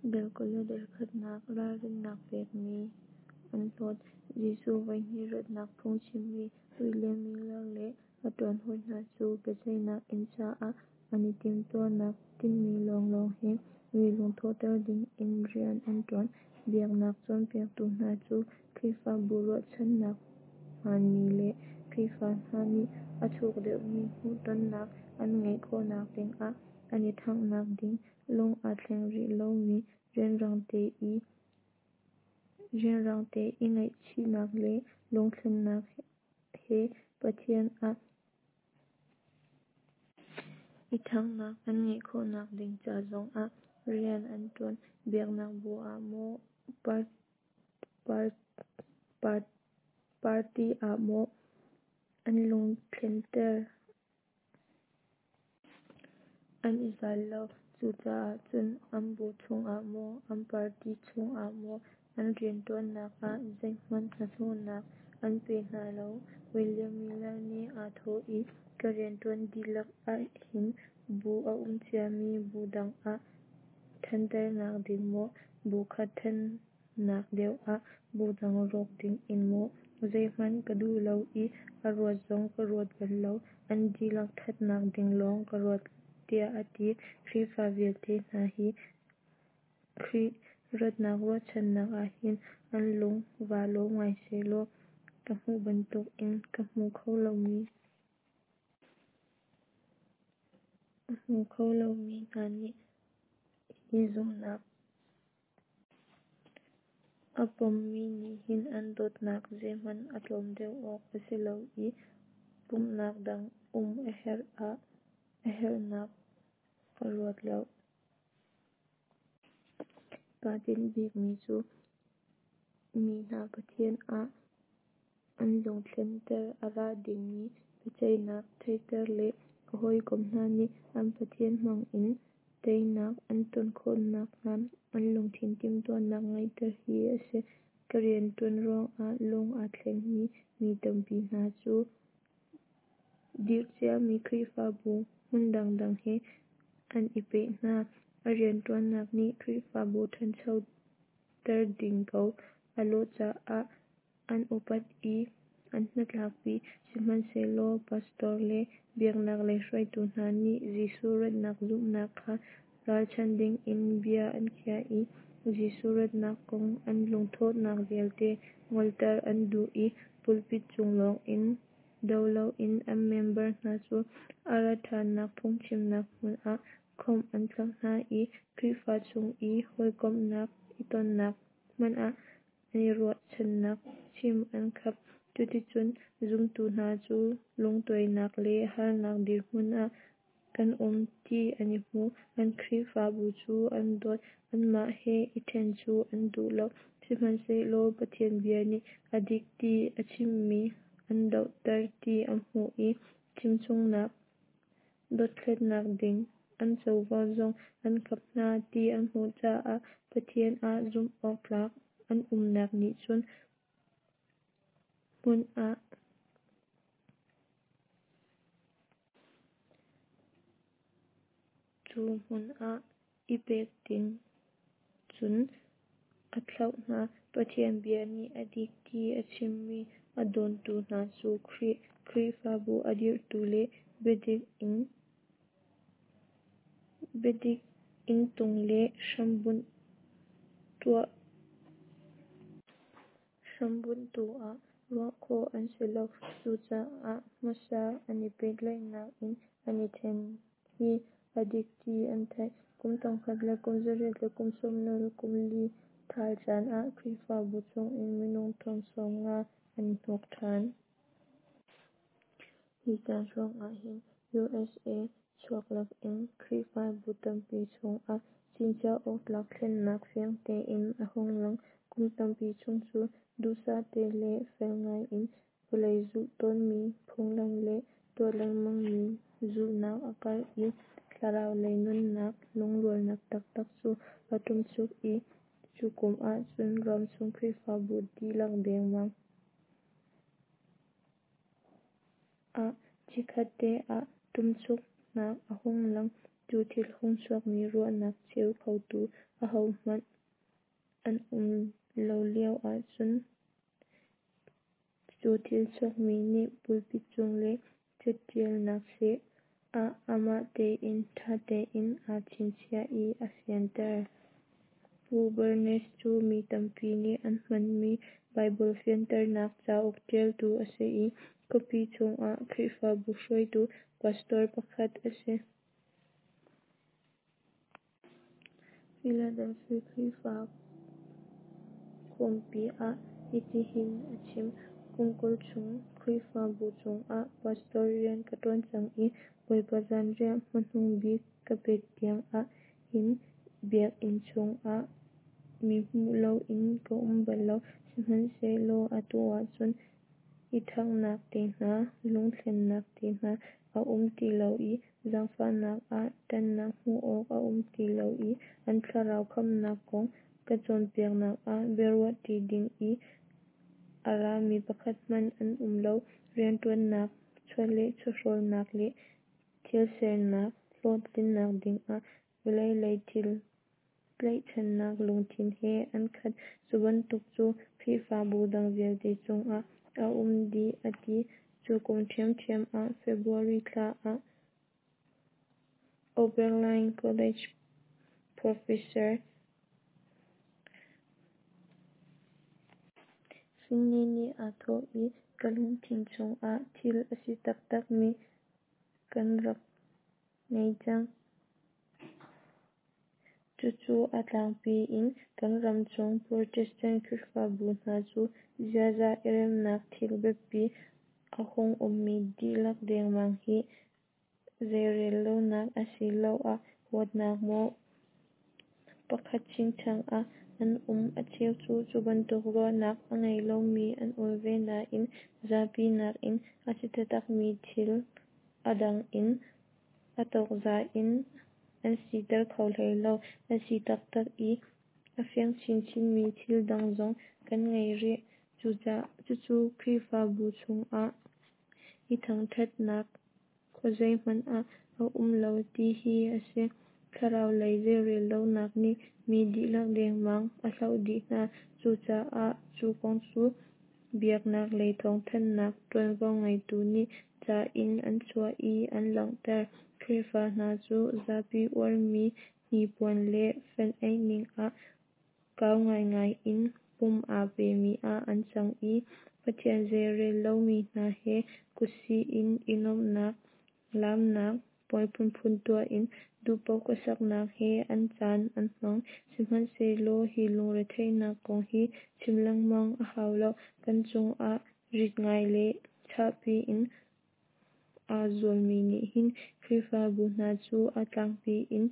Dal 20 le khatnak Ralrinnak pekmi an hlawt. Jesuh voihnih ratnak phungchimmi William Miller le a ṭuanhawi hna cu biaceihnak inn caah an i timhtuahnak tinhmi lawnglawng he mi lungthawhter dingin rian an ṭuan. Biaknak cawnpiaktu hna cu Khrihfabu ruahchannak hmaanmi le Khrihfa hna nih a thuk deuhmi hmuhtonnak an ngeih khawhnak dingah an i ṭhanghnak ding, lung aa thleng rih lomi rianrangte i ngaihchihnak le lungthlennak he Pathian ah i ṭhanghnak an ngeih khawhnak ding ca zongah rian an ṭuan. Biaknak bu ah maw, party ah maw an lungthlenter an i zal lo. Cucaah cun an bu chungah maw, an party chungah maw an rianṭuannak ah zeihmanh hnahnawhnak an pe hna lo. William Miller nih aa thawh i, Ka rianṭuan dihlak ahhin bu a um ciami bu dang ah ṭhanternak ding maw, bu kha ṭhannak deuh ah bu dang rawk dingin maw, zeihmanh ka duh lo i a ruat zong ka ruat bal lo, an dihlak ṭhatnak ding lawng ka ruat, tiah a ti. Khrihfa vialte hna hi Khrih ratnak ruahchannak ahhin an lung vaa lawm ngai sehlaw ka hmuh bantukin a hmu kho lomi hna nih hi zumhnak a pommi nih hin an dawtnak zeihmanh a tlawm deuh awk a si lo i pumhnak dang um a herhnak ka ruat lo. Kaa tinh bikmi cu mi hna Pathian ah an lungthlenter, a ra dingmi biaceihnak theihter le ka hawikom hna nih an Pathian hmangin teinak an ton khawh nakhnga an lungthin timhtuahnak ngeihter hi a si. Ka rianṭuan ruangah lung aa thlengmi mi tampi hna cu dirh ciami Khrihfabu hmun dangdang he an i peh hna. A rianṭuannak nih Khrihfabu ṭhanchoter ding ko a lawh caah an upat i an hnatlakpi. Sihmanhsehlaw pastor le biaknak lei hruaitu hna nih Jesuh ratnak zumhnak kha ralchanh dingin bia an khiah i Jesuh ratnak kong an lungthawhnak vialte ngolter an duh i pulpit cung lawngin do loin an member hna cu a rat ṭhannak phungchimnak hmun ah khawmh an khap hna i Khrihfa chung i hawikomhnak i tonnak hmanh ah an i ruahchannak chim an khap. Cuticun zumtu hna cu lungtuainak le harnak dirhmun ah kan um ti an i hmu. An Khrihfabu cu an dawt, anmah he i ṭhen cu an duh lo. Sihmanhsehlaw Pathian bia nih a dik ti a chimmi an dohter ti an hmuh i chimchungnak dothlatnak ding an covo zong an khap hna ti an hmuh caah Pathian ah zumh awktlak an umnak nih cu hmun ah i pek ding cun a thlauh hna. Pathian bia nih a dik ti a chimmi a dawntu hna cu Khrih Khrihfabu a dirhtu le biadik inntung le hrambunhtu ah ruah khawh an si lo. Cucaah hmasa an i pehtlaihnak in an i ṭhen hi a dik ti an theih. Kum thongkhat le kum zariat le kum sawmnga le kum li ṭhal caan ah Khrihfabu chungin minung thong 50 an i hnuk ṭhan. Hi caan hrawng ahhin USA chuak lakin Khrihfabu tampi chungah chinchiah awktlak thlennak fiang tein a hung lang. Kum tampi chung cu duhsah te le fel ngaiin vawlei zulh tawnmi phunglam le tuah lengmangmi zulhnak a karh i thlarau lei nunnak lungrualnak taktak cu a ṭumchuk i cu kum ahcun ramchung Khrihfabu dihlak dengmang ah chikkhatte ah ṭumchuknak a hung lang. Cu thil hung chuakmi ruahnak cheu khotu ahohmanh an um lo lio ahcun cu thil chuakmi nih pulpit cung le cattialnak seh ah amah tein ttha tein aa chinchiah i aa fianter. Pu Barnes cu mi tampi nih an hmanmi Baibal fianternak cauk ttialtu a si i khuapi chungah Khrihfabu hruaitu pastor pakhat a si. Philadelphia Khrihfa khawmpi ah hitihin a chim: "Kum 20 chung Khrihfabu chungah pastor rian ka ttuan cang i Bawipa zanriah hmanungbik ka pek tiang ah hin biakinn chungah mi hmuh loin ka um bal lo. Sihmanhsehlaw atu ahcun i thanghnak te hna, lungthlennak te hna a um ti lo i zaangfahnak ah ttannak hmuh awk a um ti lo i an thlarau khamhnak kong ka cawnpiaknak ah biaruah tti ding i a rami pakhat hmanh an um lo. Rianttuannak, chawleh chawhrawlnak le thilsernak hlawhtlinnak dingah vawlei lei thil tlaihchannak lungthin he an khat. Cu bantuk cu Khrihfabu dang vialte chungah a um dih," a ti. Cu kum ṭhiamṭhiam ah February thla ah Oberlin College Professor Finney nih aa thawh i, "Ka lungthin chungah thil a si taktakmi kan rak ngei cang. Cucu a tlangpi in kan ram chung Protestant Khrihfabu hna cu ziaza i remhnak thil biapi a hung ummi dihlak dengmang hi zeirellonak asiloah huatnak maw pakhat chingchang ah an um. A cheu cu cubantuk ruahnak a ngei lomi an um ve nain zapi nakin a si taktakmi thil a dang in a tawkza in an siter kho hlei lo. A si taktak i a fiang chinchinmi thil dang zong kan ngei rih. Cucu Khrihfabu chungah i thangthatnak khuazei hmanh ah a um lo ti hi a si. Thlarau lei zeirellonak nih mi dihlak dengmang a hloh dih hna. Cucaah cu kong cu biaknak lei thawngthanhnak tuanvo ngeitu nih ca in an chuah i an langhter. Khrihfa hna cu zapi uarmi hnipuan le fenh-aih ning ah kau ngaingai in pum aa pemi ah an cang i Pathian zeirel lomi hna he kutsih in i nuamhnak, laamnak, puai phunphun tuah in duhpaoh khuasaknak he an caan an hmang. Sihmanhsehlaw hi lungretheihnak kong hi chim lengmang a hau lo. Kan cungah rit ngai le chahpi in aa zualmi nih hin Khrihfabu hna cu a tlangpi in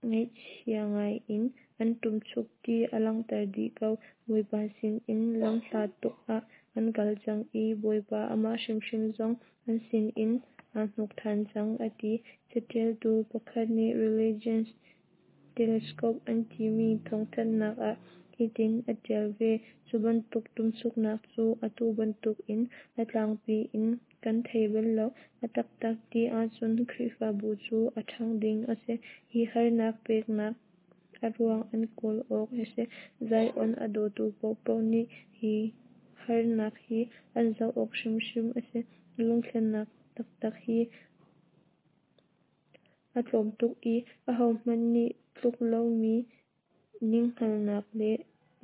ngaihchia ngai in an ṭumchuk ti a langhter dih ko. Bawipa sinin lamhla tuk ah an kal cang i Bawipa amah hrimhrim zong an sinin aa hnuk ṭhan cang, a ti. Cattialtu pakhat nih Religions Telescope an timi thawngthanhnak ah hitin a ttial ve: "Cu bantuk ṭumchuknak cu atu bantukin a tlangpi in kan thei bal lo. A taktak ti ahcun Khrihfabu cu a ṭhang ding a si. Hi harnak peknak a ruang an kawl awk a si. Zion a dawtu paohpaoh nih hi harnak hi an zoh awk hrimhrim a si. Lungthlennak taktak hi a tlawm tuk i ahohmanh nih tluk lomi ninghngalhnak le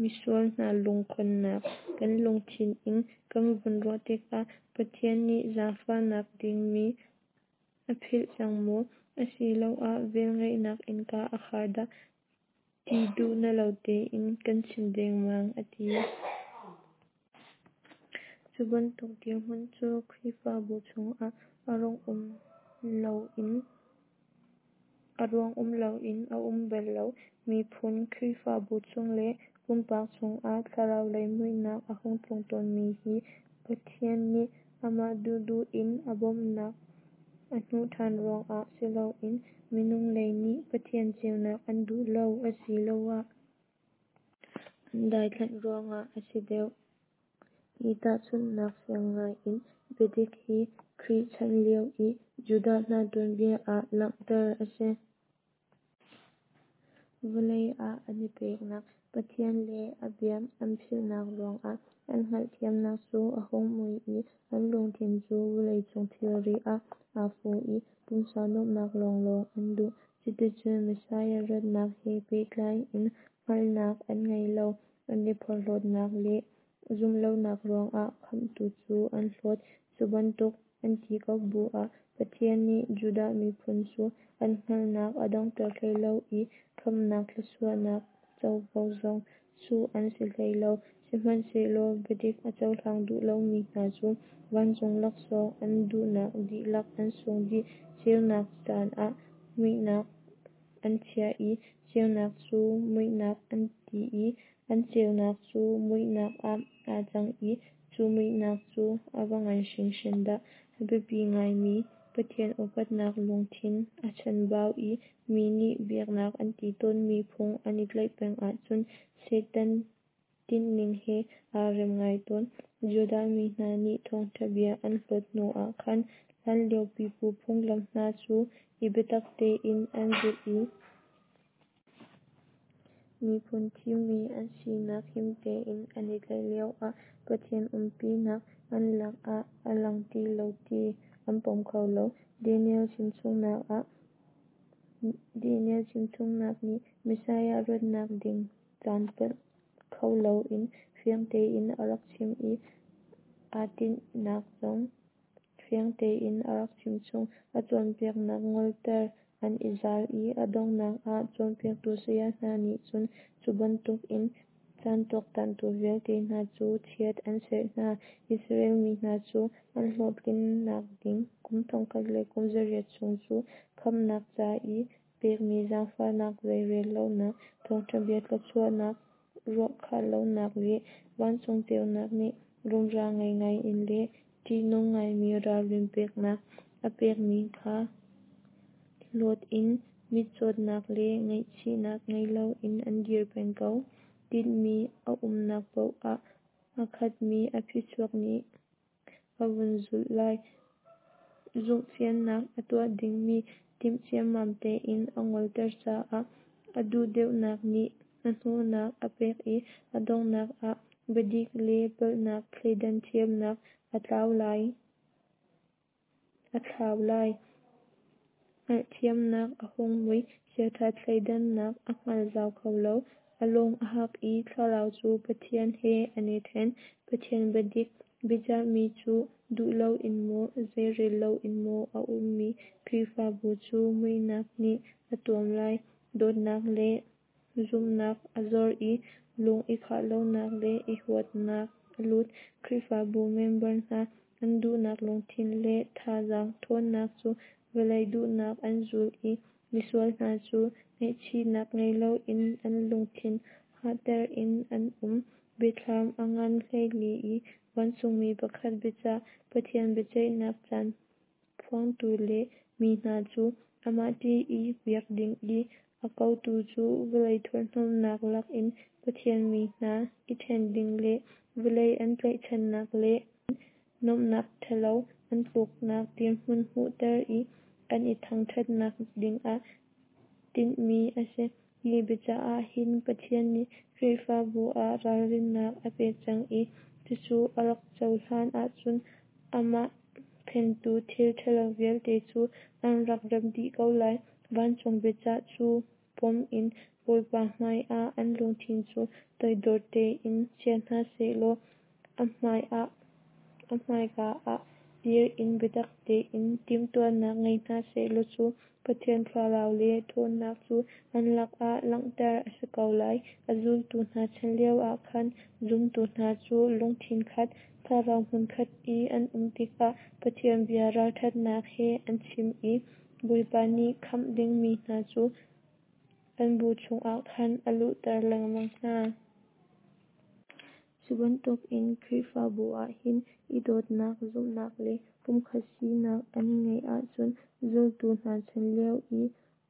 misual hna lungkhonnak kan lungthin in kan vun ruah tikah Pathian nih zaangfahnak dingmi a philh cang maw, asiloah velngeihnak innka a khar dah ti duh na lo tein kan chim dengmang," a ti. Cu bantuk dirhmun cu Khrihfabu chungah a ruang um loin a um bal lo. Miphun, Khrihfabu chung le pumpak chungah thlarau lei muihnak a hung tlung tawnmi hi Pathian nih amah duhduh in a bawmhnak a hnuh ṭhan ruangah siloin minung lei nih Pathian ceunak an duh lo asiloah an daithlanh ruangah a si deuh. Hi tahchunhnak fiang ngai in biadik hi Khrih chan lio i Judah hna tuanbia ah langhter a si. Vawlei ah an i peknak, Pathian le a bia an philhnak ruangah an hngalhthiamnak cu a hung mui i an lungthin cu vawleicung thilri ah aa fu i pumsa nuamhnak lawnglawng an duh. Cuticun Messiah ratnak he pehtlai in hngalhnak an ngei lo. An i porhlawtnak le zumhlonak ruangah Khamhtu cu an hlawt. Cu bantuk an ti ko bu ah Pathian nih Judah miphun cu an hngalhnak a donghter hlei lo i khamhnak thluachuahnak covo zong chuh an si hlei lo. Sihmanhsehlaw biadik a cohlang duh lomi hna cu vancung laksawng an duhnak dihlak an sung dih. Ceunak canah muihnak an chiah i ceunak cu muihnak an ti i an ceunak cu muihnak ah aa cang i cu muihnak cu a va ngan hringhran dah! A biapi ngaimi Pathian upatnak lungthin a chanbau i mi nih biaknak an ti tawnmi phung an i tlaih peng ahcun Satan tinhning he aa rem ngai tawn. Judah mi hna nih thawngtha bia an hlawt hnu ah khan hlanlio pipu phunglam hna cu i biatak tein an zulh i miphun thimmi an sinak him tein an i tlaih lioah Pathian umpinak an lakah a lang ti lo ti an pom kho lo. Daniel chimchungnak nih Messiah ratnak ding caan palh kho loin fiang tein a rak chim i aa tinhnak zong fiang tein a rak chimchung. A cawnpiaknak ngolter an i zal i a donghnak ah cawnpiaktu saya hna nih cun cu bantukin caan tuaktantu vialte hna cu chiat an serh hna. Israel mi hna cu an hlawhtlinnak ding kum thongkhat le kum zariat chung cu khamhnak ca i pekmi zaangfahnak zeirel lonak, thawngtha bia thluachuahnak ruahkhah lonak le vancung ceunak nih rumra ngei in le ṭihnung ngaimi ralrin peknak a pekmi kha hlawt in mitcawtnak le ngaihchihnak ngei loin an dir peng ko. Tinhmi a umnak paoh ah aa khatmi a phichuak nih a vun zulh lai. Zumhfiannak a tuah dingmi timh ciammam tein a ngolter caah a duhdeuhnak nih hnahnawhnak a pek i a donghnak ah biadik le palhnak thleidan thiamnak a thlau lai. Hngalhthiamnak a hung mui, chiaṭha thleidannak a hngal zau kho lo. A lung a hak i thlarau cu Pathian he an i ṭhen. Pathian biadik biacahmi cu duh loin maw, zeirel loin maw a ummi Khrihfabu cu muihnak nih a tuam lai. Dawtnak le zumhnak a zor i lung i khah lonak le i huatnak a lut. Khrihfabu member hna an duhnak lungthin le thazaang ṭhawnnak cu vawlei duhnak an zul i misual hna cu ngaihchihnak ngei loin an lungthin hahter in an um. Biathlam a ngan 14 i vancungmi pakhat biacah, Pathian biaceihnak caan phuangtu le mi hna cu amah ṭih i biak ding i a kotu cu vawlei thurhhnawmnak lakin Pathian mi hna i ṭhen ding le vawlei an tlaihchannak le nuamhnak ṭhalo an tluknak dirhmun hmuhter i an i thangṭhatnak dingah tinhmi a si. Hi biacah ah hin Pathian nih Khrihfabu ah ralrinnak a pek cang i cucu a rak cohlan ahcun amah phentu thil ṭhalo vialte cu an rak rem dih ko lai. Vancung biacah cu pom in Bawipa hmaiah an lungthin cu toidor tein chia hna sehlaw a hmaika ah dir in biatak tein timhtuahnak ngei hna sehlaw cu Pathian thlarau le ṭhawnnak cu an lakah langhter a si ko lai. A zultu hna chan lioah khan zumtu hna cu lungthin khat, thlarau hmunkhat i an um tikah Pathian bia ralṭhatnak he an chim i Bawipa nih khamh dingmi hna cu an bu chungah khan a luhter lengmang hna. Cu bantukin Khrihfabu ah hin i dawtnak, zumhnak le pumkhat sinak an ngeih ahcun zultu hna chan lio i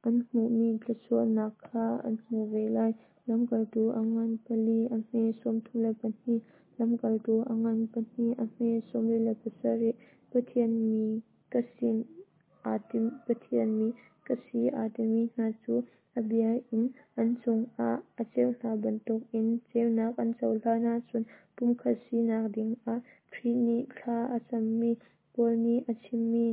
an hmuhmi thluachuahnak kha an hmu ve lai. Lamkaltu a ngan pali a hme 32, Lamkaltu a ngan pahnih a hme 47. Pathian mi ka sin aa tim Pathian mi ka si aa timi hna cu a bia in an chungah a ceu hna bantukin ceunak an cohlan ahcun pumkhat sinak dingah Khrih nih thla a cammi, Paul nih a chimmi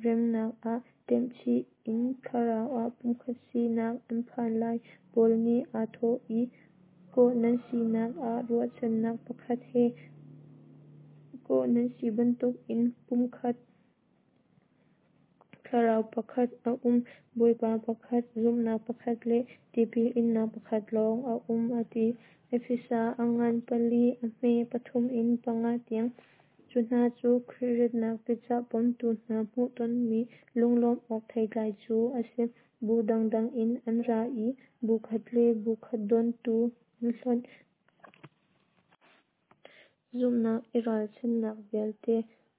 remnak ah temhchih in thlarau ah pumkhat sinak an phan lai. Paul nih aa thawh i, kawh nan sinak ah ruahchannak pakhat he kawh nan si bantukin pum pakhat, Thlarau pakhat a um, Bawipa pakhat, zumhnak pakhat le tipil innak pakhat lawng a um, a ti. Efesa a ngan 4 a hme 3 in 5 tiang. Cu hna cu Khrih ratnak biacah pomtu hna hmuhtonmi lunglawmh awk theitlai cu a si. Bu dangdang in an ra i bu khat le bu khat dawntu an hlonh. Zumhnak i ralchanhnak vialte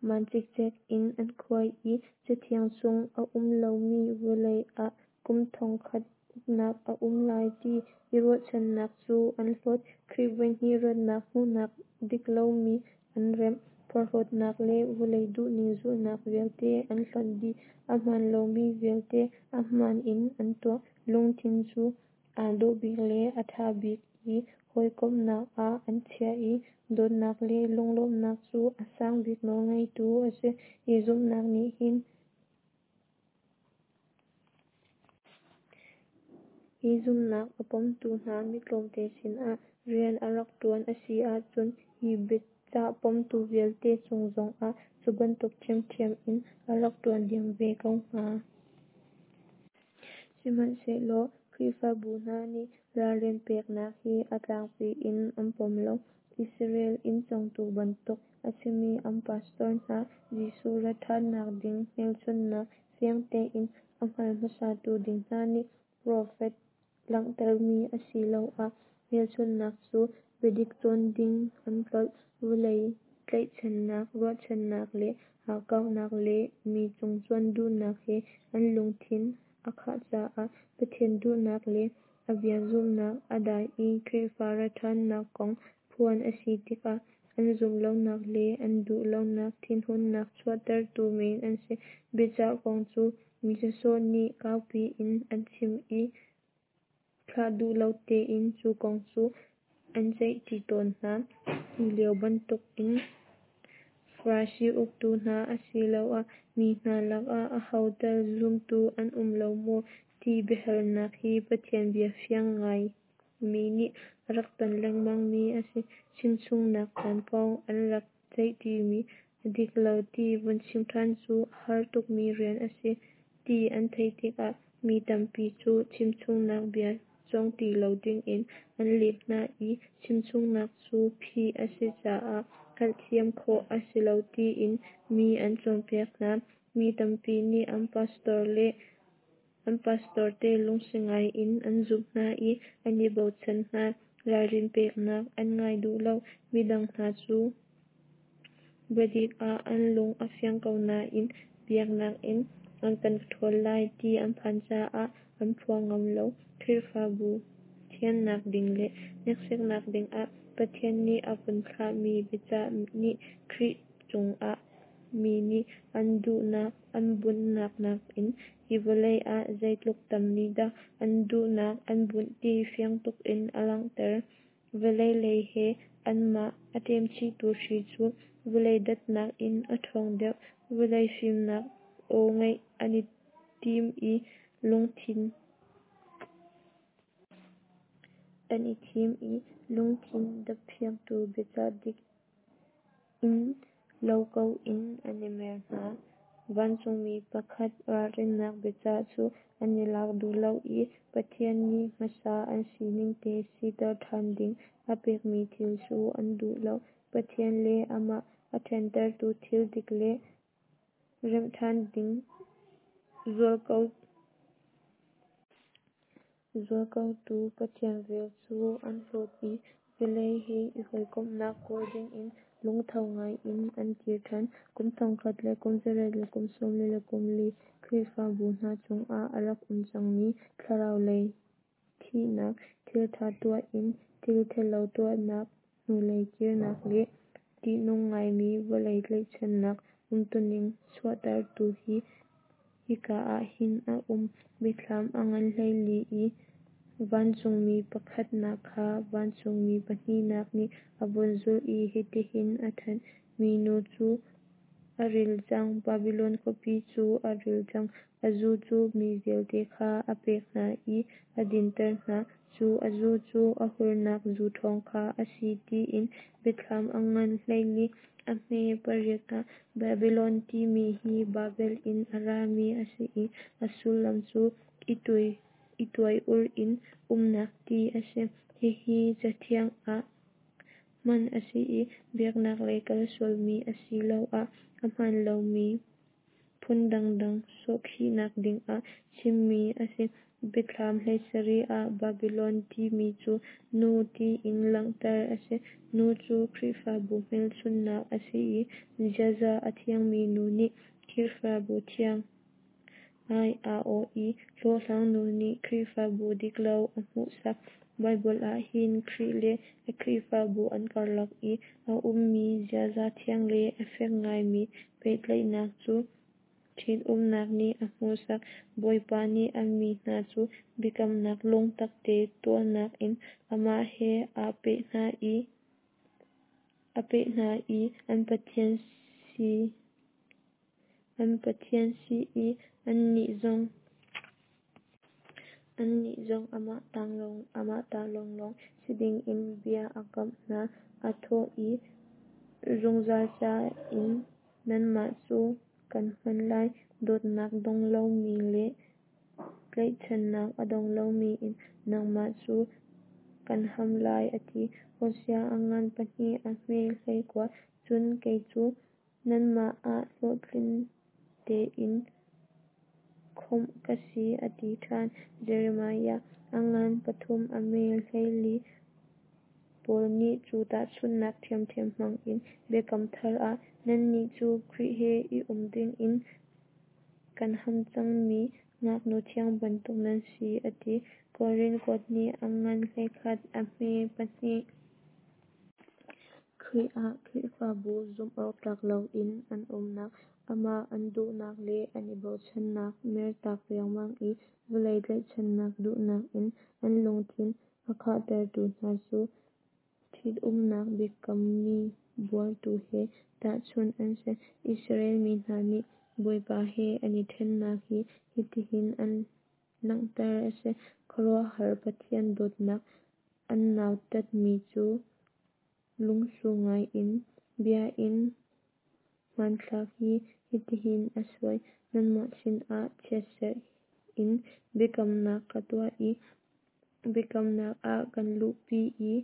maan cikcek in an khuai i Cathiang chung a um lomi vawlei ah kum 1000 uknak a um lai ti i ruahchannak cu an hlawt. Khrih voihnih ratnak hmuhnak dik lomi an remh. Porhlawtnak le vawlei duhning zulhnak vialte an hlonh dih. A hmaan lomi vialte a hmaan in an tuah. Lungthin cu aa dawh bik le a ṭha bik i hawikomhnak ah an chiah i dawtnak le lunglawmhnak cu a sang bik nawlngeitu a si. Hi zumhnak nih hin Hi zumhnak a pomtu hna mi tlawmte sinah rian a rak ṭuan a si ahcun hi biacah pomtu vialte cung zongah cu bantuk ṭhiamṭhiam in a rak ṭuan diam ve ko hnga. Sihmanhsehlaw Khrihfabu hna nih ralrin peknak hi a tlangpi in an pom lo. Israel inn cawngtu bantuk a simi an pastor hna, Jesuh rat ṭhannak ding hmelchunhnak fiang tein a hngal hmasatu ding hna nih profet langhtermi asiloah hmelchunhnak cu biadik cawn ding an tlolh. Vawlei tlaihchannak, ruahchannak le hakkauhnak le mi cungcuan duhnak he an lungthin a khah caah Pathian duhnak le a bia zumhnak a dai i Khrihfa ratṭhannak kong phuan a si tikah an zumh lonak le an duh lonak thinhunnak chuahtertu men an si. Biacah kong cu mi sawsawh nih kaupi in an chim i thlah duh lo tein cu kong cu an ceihṭi tawn hna. Hi lio bantukin Farasi uktu hna asiloah mi hna lakah aho tal zumtu an um lo maw ti biahalnak hi Pathian bia fiang ngaimi nih a rak ton lengmangmi a si. Chimchungnak caan kong an rak ceihṭimi a dik lo ti vun chim ṭhan cu a har tukmi rian a si ti an theih tikah mi tampi cu chimchungnak bia cawng ti lo dingin an lem hna i chimchungnak cu phih a si caah hngalhthiam khawh a si lo tiin mi an cawnpiak hna. Mi tampi nih an pastor le an pastorte lungsi ngai in an zumh hna i an i bochan hna. Ralrin peknak an ngai duh lo. Midang hna cu biadik ah an lung a fiang ko nain biaknak in an kan ṭhawl lai ti an phan caah an phuang ngam lo. Khrihfabu thiannak ding le hneksaknak dingah Pathian nih a vun thlahmi biacah nih Khrih cungah mi nih an duhnak an bunhnak nakin hi vawlei ah zeitluk tam nih dah an duhnak an bunh ti fiang tukin a langhter. Vawlei lei he anmah a ṭemchihtu hri cu vawlei datnak in a ṭhawng deuh. Vawlei fimnak aw ngaih an i tim i lungthin an i thim i lungthin daphiangtu biacah dik in lo ko in an i mer hna. Vancungmi pakhat ralrinnak biacah cu an i lak duh lo i Pathian nih hmasa an siningte siter ṭhan ding a pekmi thil cu an duh lo. Pathian le amah a ṭhentertu thil dik le remh ṭhan ding zualkotu Pathian vel cu an hlawt i vawlei he i hawikomhnak kawl dingin lungtho ngaiin an kir ṭhan. Kum 1814 Khrihfabu hna chungah a rak um cangmi thlarau lei thihnak, thilṭha tuah in thil ṭhalo tuahnak, hnulei kirnak le ṭihnung ngaimi vawlei tlaihchannak umtuning chuahtertu hi. hika ah hin a um. Biathlam a ngan 14 i vancungmi pakhatnak kha vancungmi pahnihnak nih a vun zulh i hitihin a thanh: Minu cu a ril cang, Babilon khuapi cu a ril cang, a zu cu mi vialte kha a pek hna i a dinter hna, cu a zu cu a hurnak zu ṭhawng kha a si, tiin. Biathlam a ngan 14 a hme 8 ah Babilon timi hi Babel in a rami a si i a sullam cu i tuai-ur in umnak ti a si. Hihi Cathiang ah hman a si i biaknak lei kal sualmi asiloah a hmaan lomi phun dangdang sawhkhihnak dingah chimmi a si. Biathlam 17 ah Babilon timi cu nu tiin langhter a si. Nu cu Khrihfabu hmelchunhnak a si i ziaza a thiangmi nu nih Khrihfabu thiang ai a awh i hlawhhlang nu nih Khrihfabu diklo a hmuhsak. Baibal ah hin Khrih le a Khrihfabu an karlak i a ummi ziaza thiang le a fek ngaimi pehtlaihnak cu ṭhitumnak nih a hmuhsak. Bawipa nih a mi hna cu biakamnak lungtakte tuahnak in amah he aa peh hna i an Pathian si i annih zong amah ta lawnglawng si dingin bia a kamh hna. Aa thawh i, Zungzal ca in nangmah cu kan hman lai, dawtnak dong lomi le tlaihchannak a dong lomi in nangmah cu kan ham lai, a ti. Hosea a ngan 2 a hme 19. Cun kei cu nangmah ah hlawhtling tein khawmh ka si, a ti ṭhan. Jeremiah a ngan 3 a hme 14. Paul nih cu tahchunhnak ṭhiamṭhiam hmang in Biakam Thar ah nannih cu Khrih he i um dingin kan ham cangmi ngaknu thiang bantuk nan si, a ti. Korin kuat hnih a ngan 11 a hme 2. Khrih ah Khrihfabu zumhawktlak loin an umnak, amah an duhnak le an i bochannak mertak riangmang i vawlei tlaihchannak duhnak in an lungthin a khahtertu hna cu ṭhitumnak biakammi buartu he tahchunh an si. Israel mi hna nih Bawipa he an i ṭhennak hi hitihin an langhter a si. Khuaruahhar Pathian dawtnak an nautatmi cu lungsu ngai in bia in hmanthlak hi hitihin a suai: Nangmah sinah chiatserh in biakamnak ka tuah i biakamnak ah kan luhpi i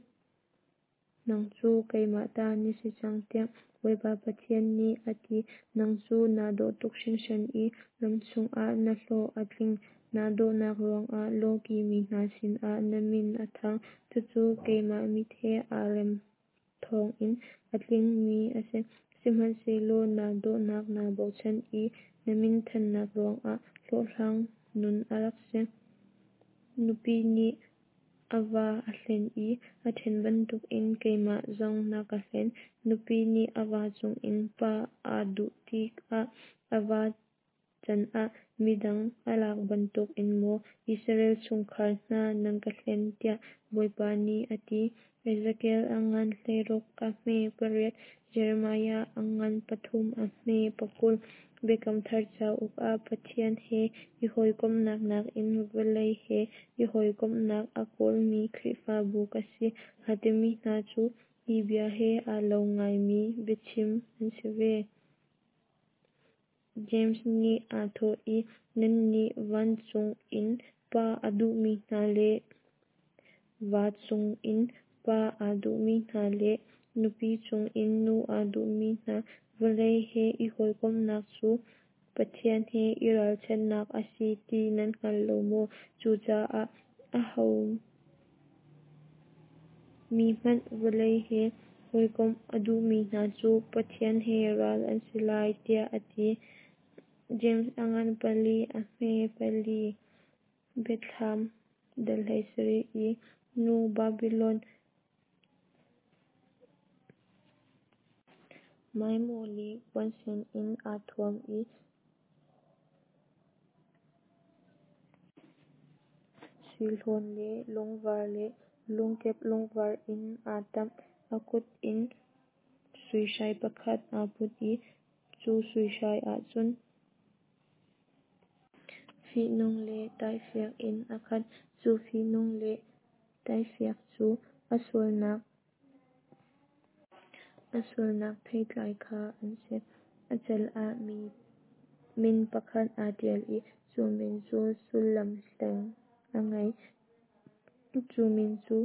nang cu keimah ta na si cang, tiah Bawipa Pathian nih a ti. Nang cu naa dawh tuk hringhran i ram chungah na hlawh a tling. Naa dawhnak ruangah lawkih mi hna sinah na min a thang. Cucu keimah mit he aa rem thawngin a tlingmi a si. Sihmanhsehlaw naa dawhnak naa bochan i na minthannak ruangah hlawhhlang nun a rak si. Nupi nih a va a hlen i a ṭhen bantukin keimah zong na ka hlen. Nupi nih a va chungin pa aa duh tikah a va canah midang a lak bantukin maw Israel chungkhar hna nan ka hlen, tiah Bawipa nih a ti. Ezekiel a ngan 16 a hme 8, Jeremiah a ngan 3 a hme 20. Biakam Thar cauk ah Pathian he i hawikomhnak nakin vawlei he i hawikomhnak a kawlmi Khrihfabu ka si aa timi hna cu hi bia he aa lo ngaimi biachim an si ve. James nih aa thawh i, Nannih vancung in pa a duhmi hna le va chungin pa aa duhmi hna le nupi chungin nu aa duhmi hna, vawlei he i hawikomhnak cu Pathian he i ralchanhnak a si ti nan hngal lo maw? Cucaah aho mi hmanh vawlei he hawikomh a duhmi hna cu Pathian he ral an si lai, tiah a ti. James a ngan 4 a hme 4. Biathlam dal 17 i nu Babilon maimaw le puansen in aa thuam i. sui hlawn le lungvar le lungkep lungvar in aa ṭamh. A kut in sui hrai pakhat aa put i cu sui hrai ah cun fihnung le taifiak in a khat. Cu fihnung le taifiak cu a sualnak theitlai kha an si. A cal ah min pakhat aa ṭial i cu min cu sullam hleng a ngei. Cu min cu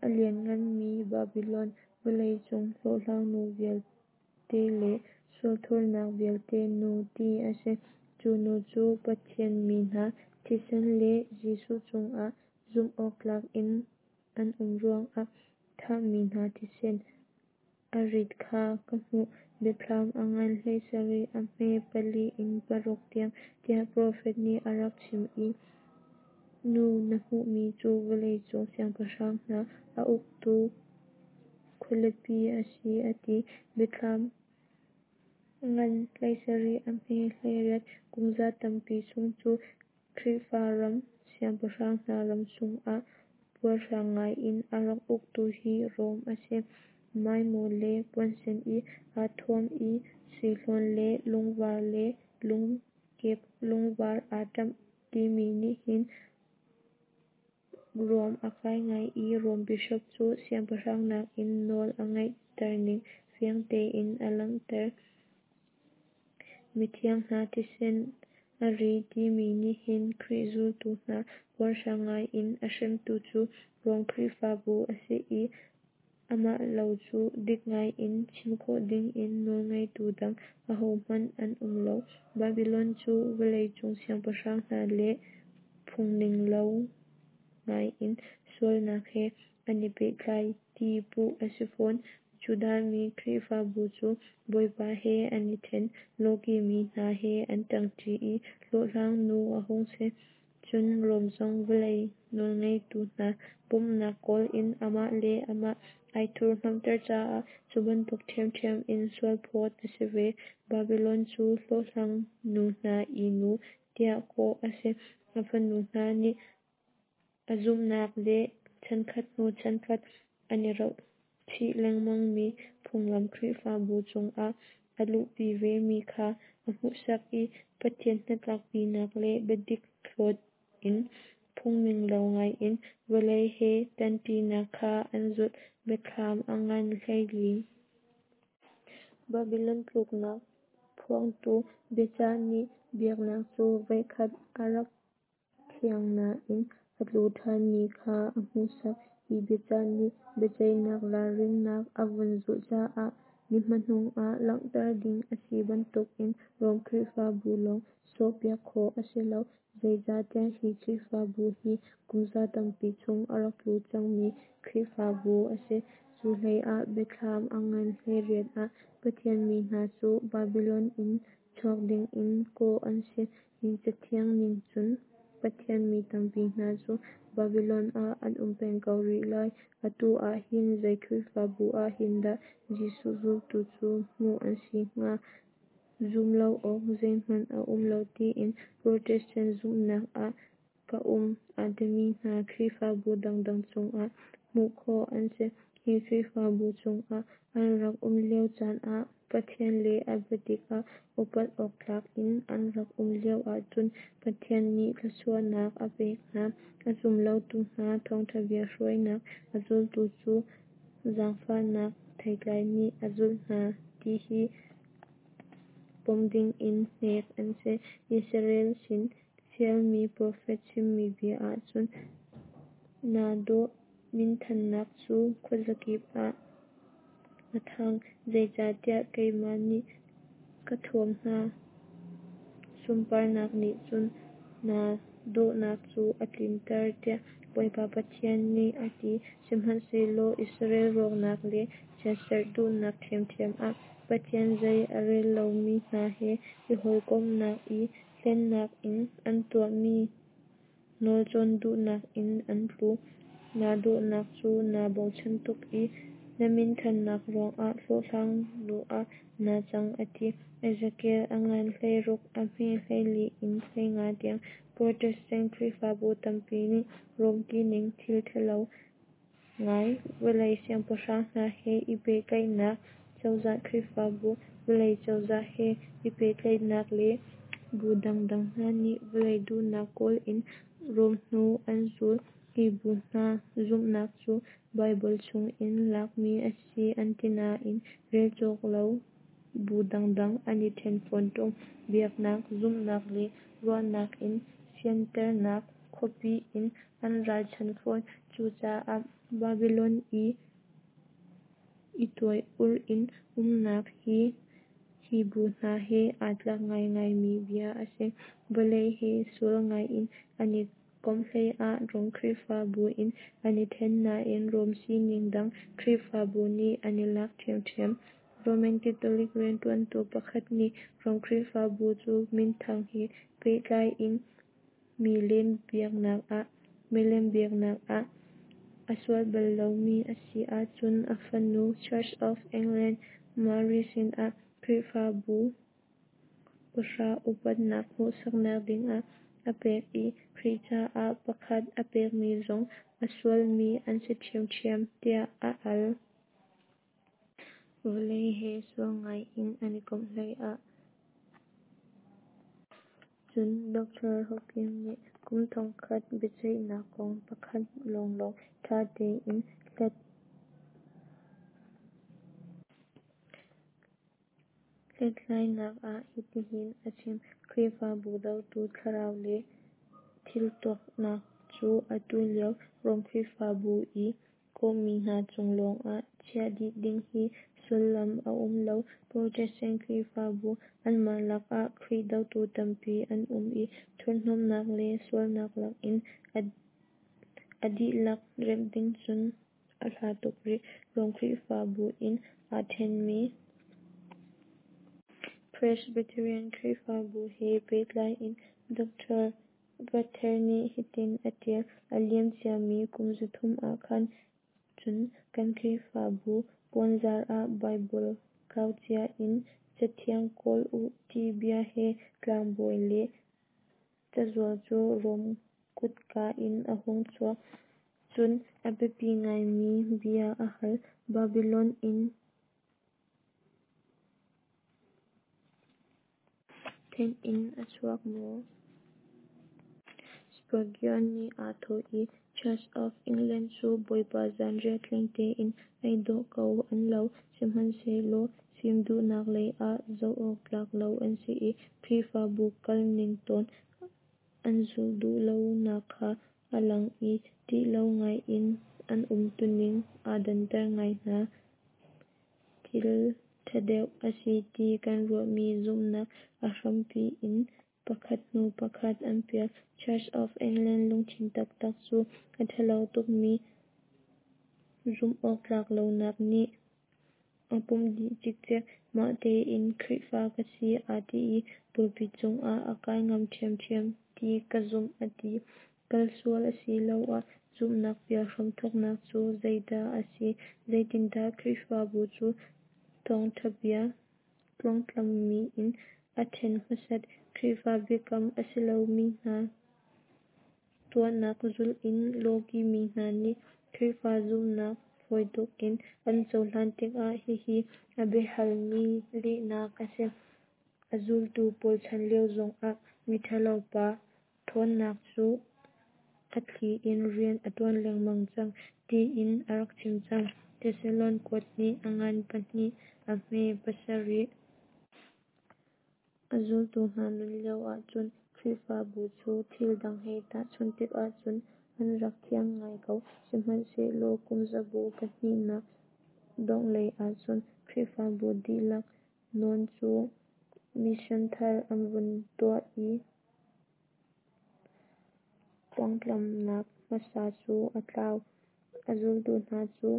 A Liannganmi Babilon, Vawlei cung hlawhhlangnu vialte le sualthurnak vialte nu, ti a si. Cu nu cu Pathian mi hna thisen le Jesuh cungah zumhawktlak in an um ruangah thahmi hna thisen a rit kha ka hmuh. Biathlam a ngan 17 a hme 4 in 6 tiang, tiah profet nih a rak chim i nu na hmuhmi cu vawlei cung siangpahrang hna a uktu khualipi a si, a ti. Biathlam ngan 17 a hme 18, Kumza tampi chung cu Khrihfa ram siangpahrang hna ram chungah puarhrang ngaiin a rak uktu hi Rom a si. Maimaw le puansen in aa thuam i sui hlawn le lungvar le lungkep lungvar aa ṭamh timi nih hin ruam a kai ngai i Rom bishop cu siangpahrang nakin nawl a ngeihterning fiang tein a langhter. Mithiang hna thisen a ri timi nih hin Khrih zultu hna puarhrang ngaiin a hremtu cu Rom Khrihfabu a si i amah lo cu dik ngaiin chim khawh dingin nawlngeitu dang ahohmanh an um lo. Babilon cu vawleicung siangpahrang hna le phungninglo ngaiin sualnak he an i pehtlai ti puh a si fawn. Judahmi Khrihfabu cu Bawipa he an i ṭhen, lawkihmi hna he an ṭangṭi i hlawhhlang nu a hung si. Cun Rom zong vawlei nawlngeitu hna bawmhnak kawl in amah le amah ai thurhhnawmhter caah cu bantuk ṭhiamṭhiam in sualphawt a si ve. Babilon cu hlawhhlang nu hna i nu tiah kawh a si. A fanu hna nih a zumhnak le chankhat hnu chankhat an i rauh chih lengmangmi phunglam Khrihfabu chungah a luhpi vemi kha a hmuhsak i Pathian hnatlakpinak le biadik hlawt in phungninglo ngaiin vawlei he ṭanṭinak kha an zulh. Biathlam a ngan 14. Babilon tluknak phuangtu biacah nih biaknak cu voikhat a rak thiang nain a tlu ṭhanmi kha a hmuhsak. Hi biacah nih biaceihnak ralrinnak a vun zulh caah ni hmanung ah langhter ding a si bantukin Rom Khrihfabu lawng sawhpiak khawh a si lo. Zeicahtiah hi Khrihfabu hi kumza tampi chung a rak tlu cangmi Khrihfabu a si. Cu hleiah Biathlam a ngan 18 ah Pathian mi hna cu Babilon in chuak dingin kawh an si. Hi cathiang ning cun Pathian mi tampi hna cu Babilon ah an um peng ko rih lai. Atu ah hin zei Khrihfabu ah hin dah Jesuh zultu cu hmuh an si hnga? Zum lo awk zeihmanh a um lo tiin Protestant zumhnak ah ka um a timi hna Khrihfabu dangdang chungah hmuh khawh an si. Hi Khrihfabu chungah an rak um lio caan ah Pathian le a biadik ah upat awktlak in an rak um lio ahcun Pathian nih thluachuahnak a pek hna. A zum lotu hna thawngṭha bia hruainak a zultu cu zaangfahnak theitlai nih a zulh hna ti hi pom dingin hnek an si. Israel sin fialmi profet chimmi bia ahcun naa dawh minthannak cu khuazakip ah a thang, zeicahtiah keimah nih ka thuam hna. Sunparnak nih cun naa dawhnak cu a tlinter, tiah Bawipa Pathian nih a ti. Sihmanhsehlaw Israel rawknak le chiatserh duhnak ṭhiamṭhiam ah Pathian zei a rel lomi hna he i hawikomhnak i hlennak in an tuahmi nawlcawn duhnak in an tlu. Naa dawhnak cu naa bochan tuk i Na minthannak ruangah hlawhhlang nu ah naa cang a ti. Ezekiel a ngan 16 a hme 24 in 15 tiang. Protestant Khrihfabu tampi nih Rom tining thil thalo ngai, vawlei siangpahrang hna he i pehtlaihnak, cozah Khrihfabu, vawlei cozah he i pehtlaihnak le bu dangdang hna nih vawlei duhnak kawl in Rom hnu an zul. Hi bu hna zumhnak cu Baibal chungin lakmi a si an ti nain rel cawk lo bu dangdang an i then fawn tung. Biaknak, zumhnak le ruahnak in fianternak khuapi in an ralchan fawn. Cucaah Babylon i i tuai ur in umnak hi hi bu hna he aa tlak ngaingaimi bia a si. Vawlei he sual ngaiin an i komh hleiah Rom Khrihfabu in an i then nain Rom sining dang Khrihfabu nih an i lak ṭhiamṭhiam. Roman Catholic rianṭuantu pakhat nih Rom Khrihfabu cu minthang he pehtlai in milem biaknak ah a sual bal lomi a si ahcun a fanu Church of England Mary sinah Khrihfabu pahra upatnak hmuhsaknak dingah a pek i Khrih caah pakhat a pekmi zong a sualmi an si ṭhiamṭhiam, tiah a al. Vawlei he sual ngaiin an i komh hleiah Cun Dr. Hawking nih kum 1000 biaceihnak kong pakhat lawnglawng ṭha tein hlathlainak ah hitihin a chim: Khrihfabu dotu thlarau le thiltuahnak cu atu lio Rom Khrihfabu i kawhmi hna cung lawngah chiah dih ding hi sullam a um lo. Protestant Khrihfabu anmah lakah Khrih dotu tampi an um i thurhnomhnak le sualnak lakin a dihlak remh ding cun a hla tuk rih. Rom Khrihfabu in aa ṭhenmi Presbyterian Khrihfabu he pehtlai in Dr. Gather nih hitin a ṭial: A liam ciami kum 300 ah khan cun kan Khrihfabu puanzar ah Baibal kau cia in Cathiang kawl u ti bia he tlangbawi le cazual cu Rom kutka in a hung chuak. Cun a biapi ngaimi bia a hal: Babylon in then in a chuak maw? Spurgeon nih aa thawh i Church of England cu Bawipa zanriah tling tein ei dawh ko an lo, sihmanhsehlaw fim duhnak lei ah zoh awk tlak lo an si i Khrihfabu kal ning tawn an zulh duh lonak kha a lang i ṭih lo ngaiin an umtuning aa danter ngai hna. Thil ṭha deuh a si ti kan ruahmi zumhnak a hrampi in pakhat hnu pakhat an pial. Church of England lungthin taktak cu a ṭhalo tukmi zumhawktlak lonak nih a pumh dih cikcek. Mah tein Khrihfa ka si aa ti i pulpit cungah a kai ngam ṭhiamṭhiam ti ka zumh a ti. Kalsual asiloah zumhnak pial hramthawknak cu zeidah a si? Zeitindah Khrihfabu cu thawngthabia tluangtlammi in a then hmasat? Khrihfa biakam a si lomi hna tuahnak zulh in lawkihmi hna nih Khrihfa zumhnak fawi tuk in an cohlan tikah hihi a biahalmi lehnak a si. A zultu pawl chan lio zongah miṭhalo pa ṭhawnnak cu a thli in rian a ṭuan lengmang cang tiin a rak chim cang. Thesalon kuat hnih a ngan pahnih a hme pasarih. A zultu hna nun lio ahcun Khrihfabu cu thil dang he tahchunh tikah cun an rak thiang ngai ko. Sihmanhsehlaw kum zabu pahnihnak dongh lei ahcun Khrihfabu dihlak nawn cu mission thar an vun tuah i tluangtlamnak hmasa cu a tlau. A zultu hna cu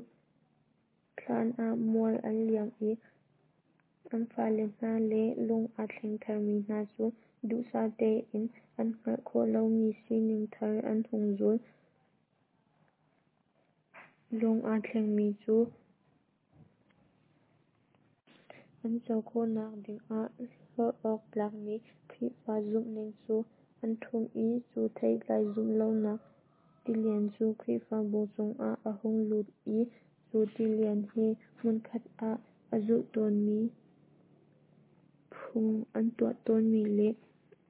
thlan ah mual an liam i an fale hna le lung aa thleng tharmi hna cu duhsah tein an hngalh khawh lomi sining thar an hung zul. Lung aa thlengmi cu. An co khawhnak dingah hlorh awk tlakmi Khrihfa zumhning cu an ṭhumh i cu theitlai zumhlonak tilian cu Khrihfabu chungah a hung lut i cu tilian he hmunkhat ah a zulh tawnmi phung an tuah tawnmi le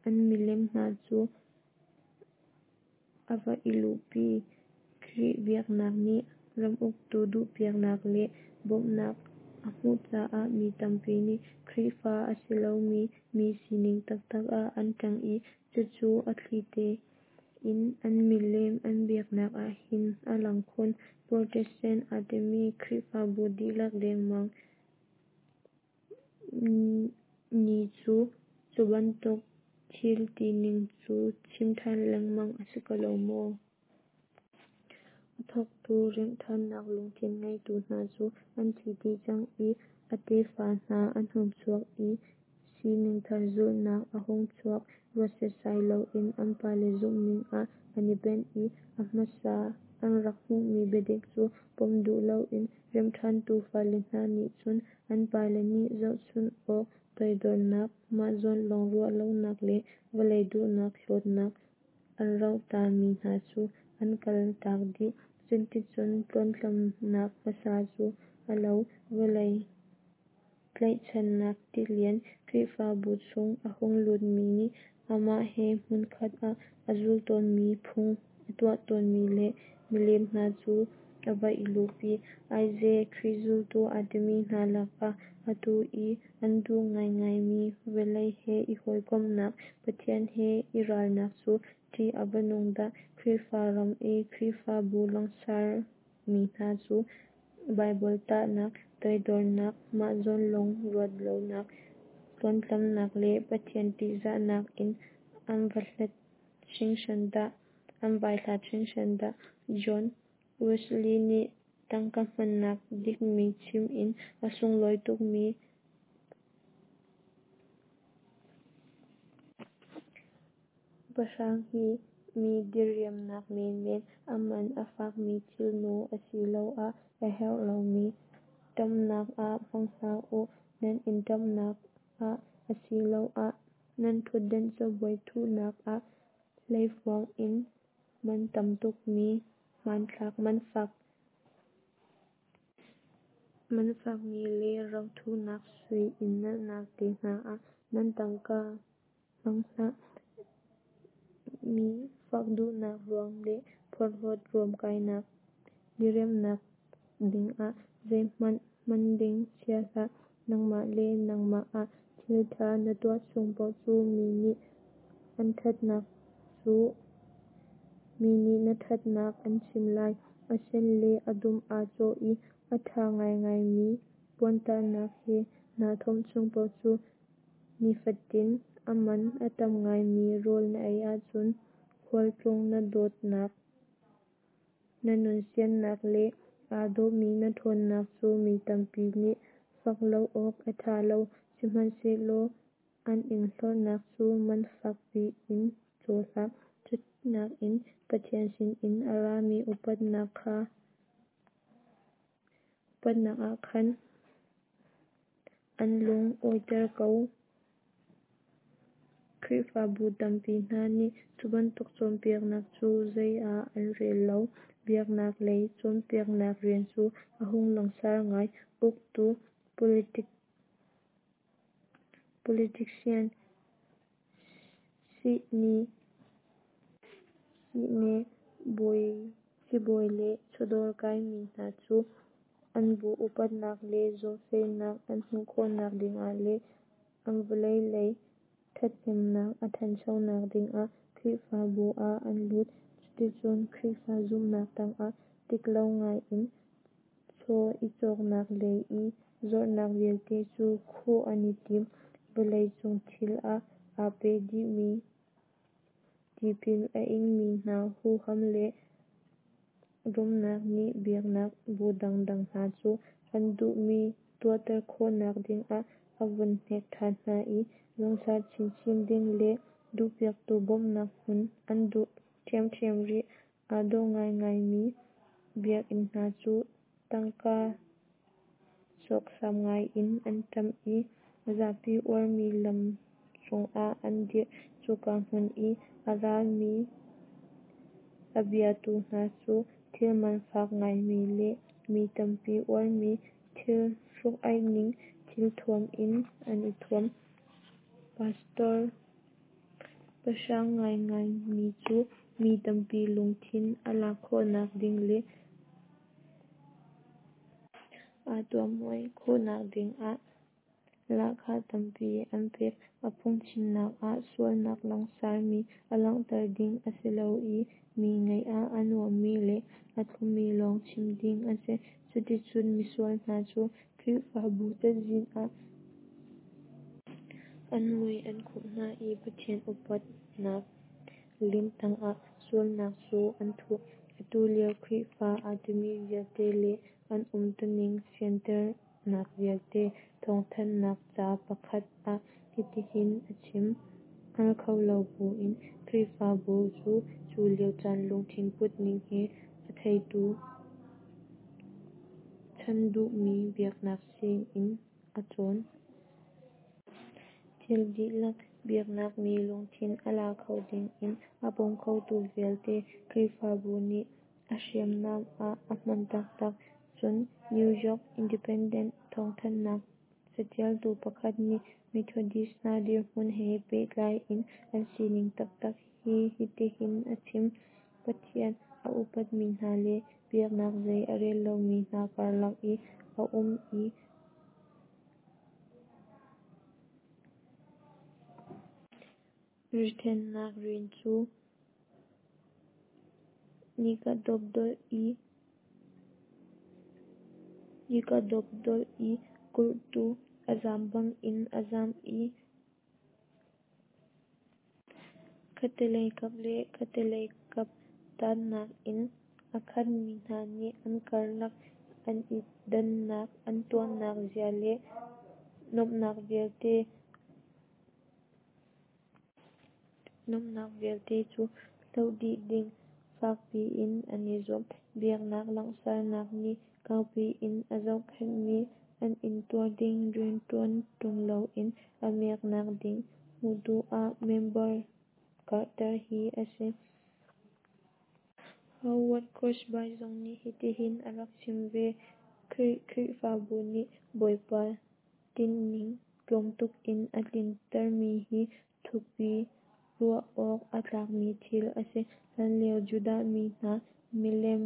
an milem hna cu a va i luhpi. Khrih biaknak nih ram uktu duhpiaknak le bawmhnak a hmuh caah mi tampi nih Khrihfa a si lomi mi sining taktak ah an cang i cucu a thlite in an milem an biaknak ah hin a lang khun. Protestant aa timi Khrihfabu dihlak dengmang ni cu cubantuk thil tining cu chim ṭhan lengmang a si ko lo maw? A thawktu remhṭhannak lungthin ngeitu hna cu an thi dih cang i a tefa hna an hung chuak i sining thar zulhnak a hung chuak. Ruat setsai loin an pale zumhning ah an i benh i a hmasa an rak hmuhmi biadik cu pom duh loin remhṭhantu fale hna nih cun an pale nih zohchunh awk toidornak, mah zawn lawng ruah lonak le vawlei duhnak hlawtnak an rohta mi hna cu an kal tak dih. Cuticun tluanhtlamnak hmasa cu a lo. Vawlei tlaihchannak tilian Khrihfabu chung a hung lutmi nih amah he hmunkhat ah a zul tawnmi phung a tuah tawnmi le milem hna cu a va i luhpi. Aize! Khrih zultu aa timi hna lakah atu i an duh ngaingaimi vawlei he i hawikomhnak, Pathian he i ralnak cu ṭih a va nung dah! Khrihfa ram i Khrihfabu langsarmi hna cu Baibal tahnak, toidornak, mah zawn lawng ruat lonak, tluanhtlamnak le Pathian ṭihzahnak in an va hlat hringhran dah! An vai hlat hringhran dah! John Wesley nih tangka hmannak dikmi chim in a sunglawi tukmi pahrang hi mi diriamnak menmen, a man a fakmi thilnu asiloah a herh lomi ṭamhnak ah hmang hlah u. Nan inn ṭamhnak ah asiloah nan ṭhutdan cabuai thuhnak ah hleifuang in man tam tukmi hmanthlak, man fakmi le ro thuhnak sui inn nalhnak te hna ah nan tangka hmang hlah. Mi fak duhnak ruang le phorhlawt ruamkainak diriamhnak dingah zeihmanh hman ding chia hlah. Nangmah le nangmah ah thilṭha na tuah chung paoh cu mi nih na ṭhatnak an chim lai. A sen le a dum aa cawh i a ṭha ngaingaimi puantahnak he naa thawmh chung paoh cu, nifatin a man a tam ngaimi rawl na ei ahcun, khualtlung na dawtnak, na nunsiannak le aa dawhmi na ṭhawnnak cu mi tampi nih fak lo awk a ṭha lo, sihmanhsehlaw an in hlorhnak cu man fak piin caw hlah. Cu nakin Pathian sinin a rami upatnak ah khan an lung awiter ko. Khrihfabu tampi hna nih cubantuk cawnpiaknak cu zei ah an rel lo. Biaknak lei cawnpiaknak rian cu a hung langsar ngai. Uktu, politician, sibawi le chawdawr kaimi hna cu an bu upatnak le zumhfehnak an hmuh khawhnak dingah le an vawlei lei ṭhathnemnak a ṭhanchonak dingah Khrihfabu ah an lut. Cuticun Khrihfa zumhnak tangah diklo ngaiin chaw i cawknak le i zuarhnak vialte cu khuh an i tim. Vawlei cung thil ah aa pe dihmi tipil a ingmi hna huham le rumnak nih biaknak bu dangdang hna cu an duhmi tuahter khawhnak dingah a vun hnek ṭhan hna i langsar chinchin ding le duhpiaktu bawmhnak hmuh an duh ṭhiamṭhiam rih. Aa dawh ngaingaimi biakinn hna cu tangka. Sawksam ngai in an ṭamh i zapi uarmi lam cungah an dir. Cuka hmun i a rami a biatu hna cu thil man fak ngaimi le mi tampi uarmi thil hruk-aihning thilthuam in an i thuam. Pastor pahrang ngaingai mi cu mi tampi lungthin a lak khawhnak ding le aa tuammuai khawhnak dingah lahkhah tampi an pek. A phungchimnak ah sualnak langsarmi a langhter ding a si lo i mi ngaih a nuammi le a thlummi lawng chim ding a si. Cuticun misual hna cu Khrihfabu cazin ah an mui an khumh hna i Pathian upatnak lim tangah sualnak cu an thuh. Atu lio Khrihfa aa timi vialte le an umtuning fianternak vialte thawngthanhnak ca pakhat ah hitihin a chim: Hngal kho lo buin Khrihfabu cu cu lio caan lungthin putning he a theitu ṭhan duhmi biaknak sinin a cawn. Thil dihlak, biaknak mi lungthin a la kho ding in a bawm khotu vialte Khrihfabu nih a hriamnam ah a hman taktak. Cun New York Independent thawngthanhnak catialtu pakhat nih Methodist hna dirhmun he pehtlai in an sining taktak hi hitihin a chim: Pathian a upatmi hna le biaknak zei a rel lomi hna karlak i a um i rithennak rian cu nika dawpdolh i kurtu a zam bangin a zam i khattelei kap le khattelei kap tannak in a khatmi hna nih an karlak an i dannak an tuahnak zia le nuamhnak vialte cu hloh dih ding fak piin an i zuam. Biaknak langhsarnak nih kaupi in a zohkhenhmi an intuar ding rianṭuan ṭung loin a miaknak ding hmuh duh ah member karhter hi a si. Howard Crosby zong nih hitihin a rak chim ve: Khrih Khrihfabu nih Bawipa tinhning tlawmtuk in a tlintermi hi thukpi ruah awk a tlakmi thil a si. Hlanlio Judah mi hna milem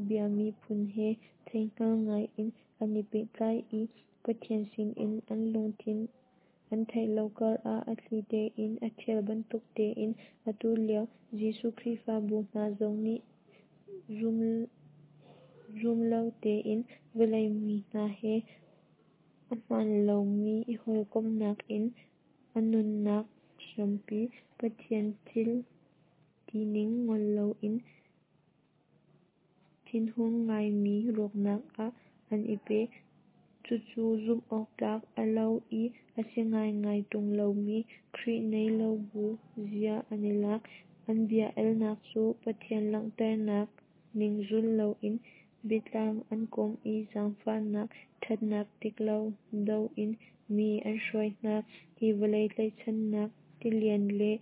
biami phun he theihngal ngai in an i pehtlai i Pathian sinin an lungthin an theih lo karah a thli tein a ṭhial bantuk tein atu lio Jesuh Khrihfabu hna zong nih zumlo tein vawlei mi hna he a hmaan lomi i hawikomhnak in a nunnak hrampi Pathian thil tining ngol loin thinhung ngaimi rawknak ah an i pe. Cucu zumh awktlak a lo i a si ngaingai ṭung lomi Khrih nei lo bu zia an i lak. An bia alnak cu Pathian langhternak ning zul loin biatlang an kawm i zaangfahnak ṭhatnak diklo do in mi an hruai hna. Hi vawlei tlaihchannak tilian le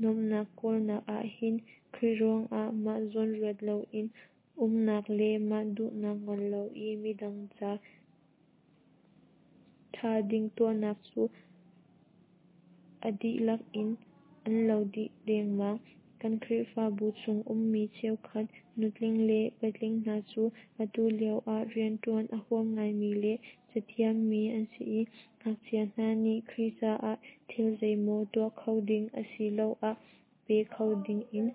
nuamhnak kawlnak ahhin Khrih ruangah mah zawn ruat loin umnak le mah duhnak ngol lo i midang ca ṭha ding tuahnak cu a dihlak in an lo dih dengmang. Kan Khrihfabu chung ummi cheukhat nutling le patling hna cu atu lioah rianṭuan a huam ngaimi le cathiammi an si i ngakchia hna nih Khrih caah thil zeimaw tuah kho ding asiloah pe kho dingin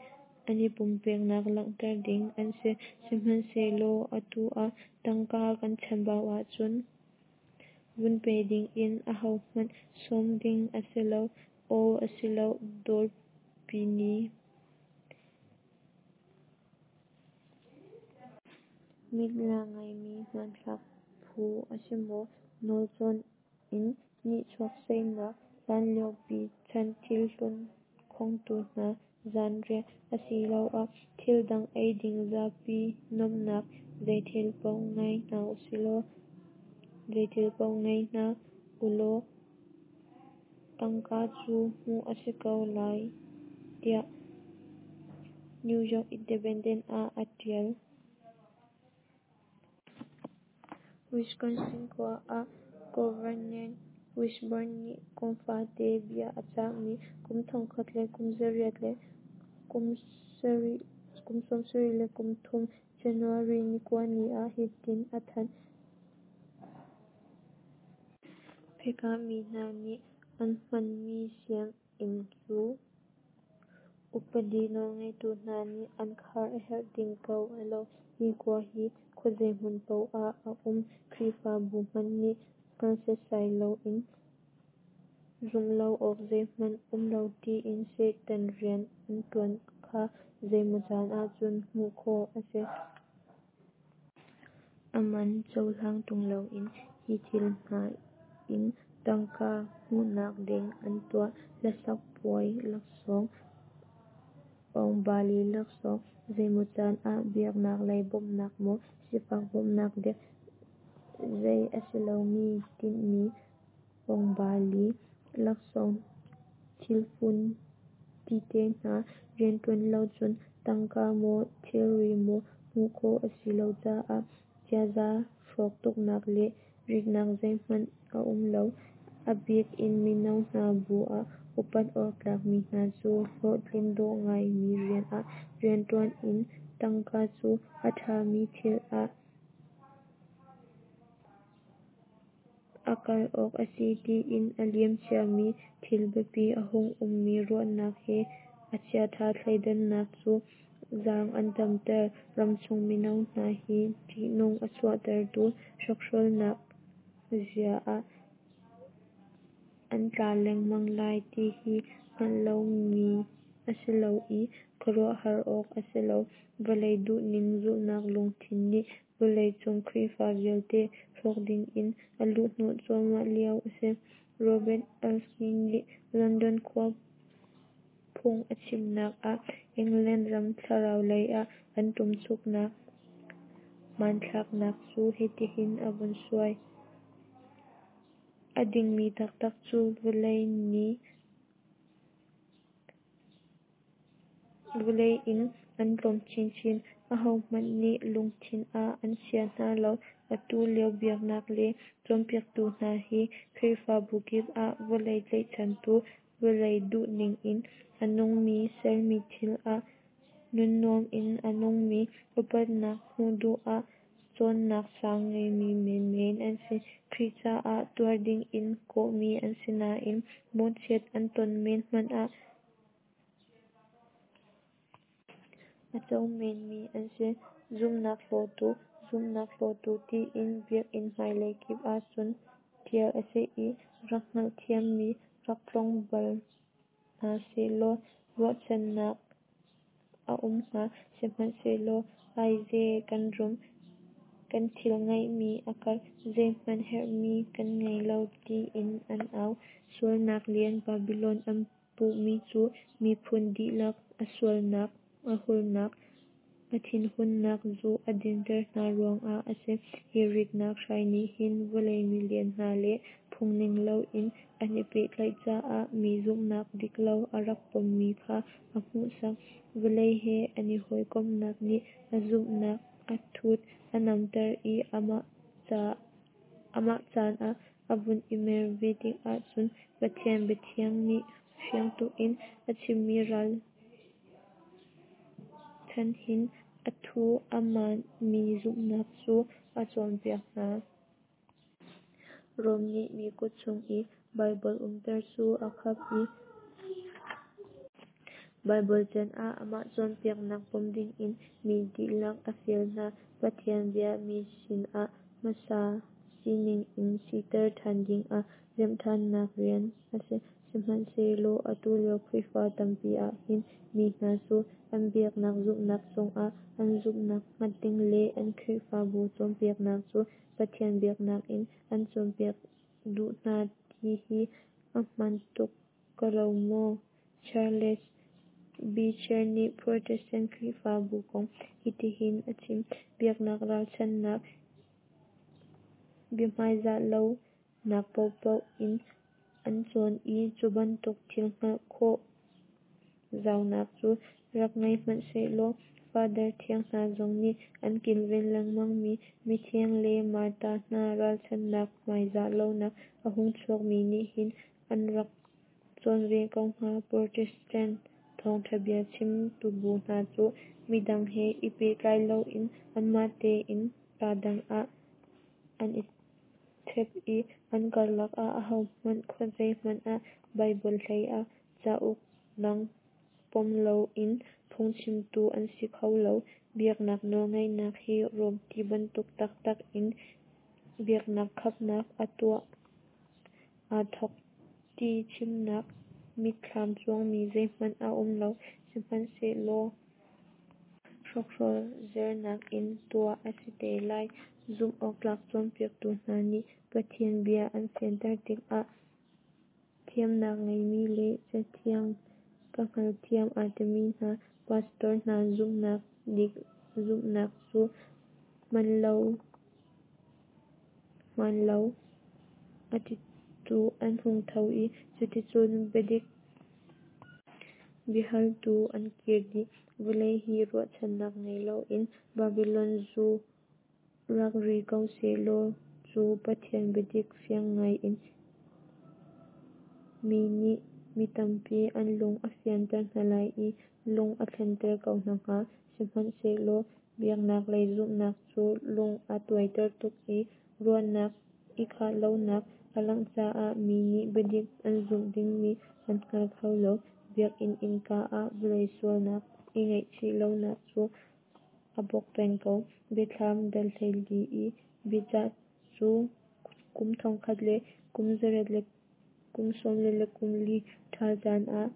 an i pumpeknak langhter ding an si. Sihmanhsehlaw atu ah tangka kan chambau ahcun vun pe dingin ahohmanh sawm ding a si lo. Aw a si lo, Dawrpi ni. Mit la ngaimi hmanthlak phu a si maw? Nawlcawn in nihchuak saihnak, hlanliopi chan thilhlun khongtu hna zanriah, asiloah thil dang eiding zapi nuamhnak zeithil paoh ngei hna usihlaw. Zeithil paoh ngei hna ulaw tangka cu hmuh a si ko lai tiah New York Independent ah a tial. Wisconsin khua ah Governor Whismer nih kum fate bia a cahmi kum 1973 January 29 ni ah hitin a thanh. Phekahmi hna nih an hmanmi sianginn cu upadi nawlngeitu hna nih an khar a herh ding ko a lo. Hi khua hi khuazei hmun paoh ah a um. Khrihfabu hmanh nih hngal setsai loin zumh lo awk zeihmanh um lo tiin Satan rian an ṭuan kha zeimaw caan ahcun hmuh khawh a si. A man cohlang ṭung loin hi thil hna in tangka hmuhnak ding an tuah: hlasak puai laksawng, awngbali laksawng, zeimaw caan ah biaknak lei bawmhnak maw, sifak bawmhnak dek, zei a si lomi tinhmi awngbali laksawng thilfun tite hna. Rianṭuan lo cun tangka maw thilri maw hmuh khawh a si lo caah ziaza hrawk tuknak le ritnak zeihmanh a um lo. A bik in mino hna bu ah upat awktlak mi hna cu hlawhtlin dawh ngaimi rian ah rianṭuan in tangka cu a ṭhami thil ah a kal awk a si tiin a liam ciami thil biapi a hung ummi ruahnak he a chiaṭha thleidannak cu zaang an damter. Ramchung mino hna hi ṭihnung a chuahtertu hrokhrawlnak zia ah an tla lengmang lai ti hi hngalh lomi a si lo i khuaruahhar awk a si lo. Vawlei duhning zulhnak lungthin nih vawlei cung Khrihfa vialte hrawk dingin a luhhnawh cuahmah lio a si. Robert Elsie nih London khua phung a chimnak ah England ram thlarau lei ah an ṭumchuknak hmanthlak cu hitihin a vun suai. A dingmi taktak cu vawlei in an tlawm chinchin. Ahohmanh nih lungthin ah an chia hna lo. Atu lio biaknak lei cawnpiaktu hna hi Khrihfabu kip ah vawlei tlaihchantu, vawlei duhning in a nungmi, sermi thil ah nunnuam in a nungmi, upatnak hmuh duh ah cawnnak sang ngeimi menmen an si. Khrih caah tuar dingin kawhmi an si nain mawhchiat an ton men hmanh ah a co menmi an si. Zumhnak hlawtu, zumhnak hlawtu tiin biakinn hmailei kip ahcun tial a si i rak hngalthiammi rak tlawng bal hna sehlaw ruahchannak a um hnga. Sihmanhsehlaw, aize, kan rum, kan thil ngeihmi a karh, zeihmanh herhmi kan ngei lo tiin an au. Sualnak lian Babilon an puhmi cu miphun dihlak a sualnak, a hurnak, a thinhunnak zu a dinter hna ruangah a si. Hi ritnak hrai nih hin vawlei milian hna le phungning loin an i pehtlaih caah mi zumhnak diklo a rak pommi kha a hmuhsak. Vawlei he an i hawikomhnak nih a zumhnak a thut a namter i amah caan a vun i mer ve tikah cun Pathian biathiang nih fiang tukin a chimmi ralchanhin a thu a hmaanmi zumhnak cu a cawnpiak hna. Rom nih mi kut chung i Baibal umter cu a khap i Baibal can ah amah cawnpiaknak pom dingin mi dihlak a fial hna. Pathian bia mi sinah hmasa sining in siter ṭhan dingah remhṭhannak rian a si. Sihmanhsehlaw atu lio Khrihfa tampi ahhin mi hna cu an biaknak zumhnak cungah an zumhnak hngat ding le an Khrihfabu cawnpiaknak cu Pathian biaknak in an cawnpiak duh hna ti hi a hmaan tuk ko lo maw? Charles Beecher nih Protestant Khrihfabu kong hitihin a chim: Biaknak ralchanhnak biahmaizah lo nak paohpaoh in an cawn i cubantuk thil hngalh khawh zaunak cu rak ngei hmanhsehlaw Father thiang hna zong nih an kilven lengmang mi mithiang le Martar hna ralchanhnak hmaizah lonak a hung chuak mi nih hin an rak cawn ve ko hnga. Protestant thawng'tha bia chimtu bu hna cu midang he i pehtlai loin anmah tein kaa dang ah an i thep i an karlak ah ahohmanh khuazei hmanh ah Baibal hleiah cauk dang pom loin phungchimtu an si kho lo. Biaknak nawlngeihnak hi Rom tibantuk taktak in biaknak khapnak a tuah aa thawk ti chimnak mitthlam cuangmi zeihmanh a um lo. Sihmanhsehlaw hrokhrawl zernak in tuah a si te lai. Zumh awktlak cawnpiaktu hna nih Pathian bia an fianter tikah thiamnak ngeimi le Cathiang ka hngalthiam aa timi hna pastor hna zumhnak dik zumhnak cu hmanlo a titu an hung tho i cuticun biadik biahaltu an kir dih. Vawlei hi ruahchannak ngei loin Babylon zu rak ri ko sehlaw cu Pathian biadik fiang ngai in mi nih mi tampi an lung a fianter hna lai i lung a thlenter ko hna hnga. Sihmanhsehlaw biaknak lei zumhnak cu lung a tuaiter tuk i ruahnak i khah lonak a langh caah mi nih biadik an zumh dingmi an hngal kho lo. Biakinn innka ah vawlei sualnak i ngaihchih lonak cu a bawk peng ko. Biathlam dal 14 i biacah cu kum thongkhat le kum zariat le kum 44 le kum li ṭhal caan ah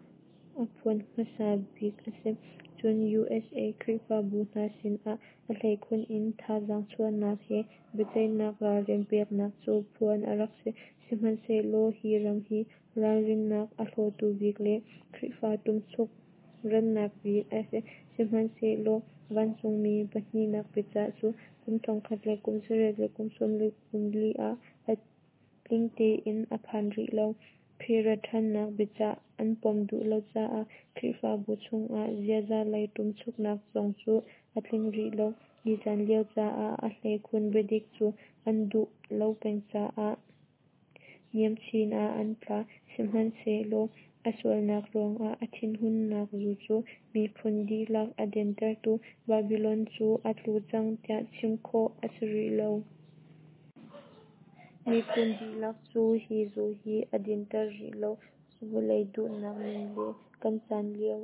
a phuan hmasa bik a si. Cun USA Khrihfabu hna sinah a hleikhun in thazaang chuahnak he biaceihnak ralrin peknak cu phuan a rak si. Sihmanhsehlaw hi ram hi ralrinnak a hlawtu bik le Khrihfa ṭumchuk rannak bik a si. Sihmanhsehlaw vancungmi pahnihnak biacah cu kum thongkhat le kum zariat le kum 44 ah a tling tein a phan rih lo. Khrih rat ṭhannak biacah an pom duh lo caah Khrihfabu chungah ziaza lei ṭumchuknak zong cu a tling rih lo. Hi caan lio caah a hleikhun biadik cu an duh lo peng caah niam chin ah an tla. Sihmanhsehlaw a sualnak ruangah a thinhunnak zu cu miphun dihlak a dintertu Babylon cu a tlu cang tiah chim khawh a si rih lo. Miphun dihlak cu hi zu hi a dinter rih lo. Vawlei duhnak ning le kan caan lio